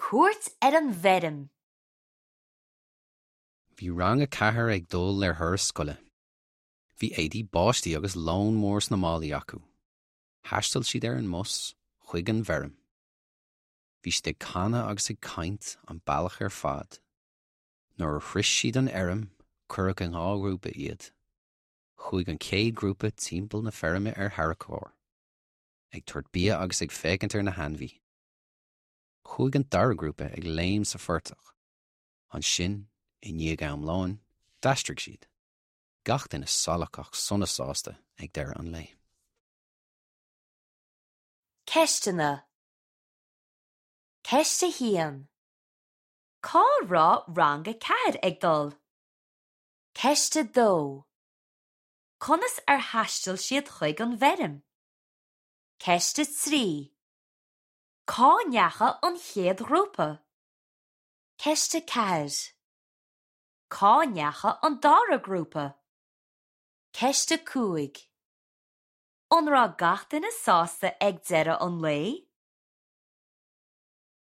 Cuairt ar an bhfeirm. Bhí rang a 4 ag dul ar thuras scoile. Bhí éadaí báistí agus lón mór sna málaí acu. Thaistil siad ar an mbus chuig an bhfeirm. Bhí siad ag canadh agus ag caint an bealach ar fad. Nuair a shrois siad an fheirm, cuireadh i ndhá ghrúpa iad. Chuaigh an chéad ghrúpa timpeall na feirme ar tharracóir, ag tabhairt bia agus ag féachaint ar na hainmhí. Chuaigh an dara grúpa ag léim sa phortach. Ansin, i ndiaidh am lóin, d'aistrigh siad. Gach duine salach ach sona sásta ag deireadh an lae. Ceisteanna Ceist 1. Cá raibh Rang 4 ag dul? Ceist 2. Conas ar thaistil siad chuig an bhfeirm? Ceist 3. Cá ndeachaigh an chéad ghrúpa? Ceist 4. Cá ndeachaigh an dara grúpa? Ceist 5. An raibh gach duine sásta ag deireadh an lae?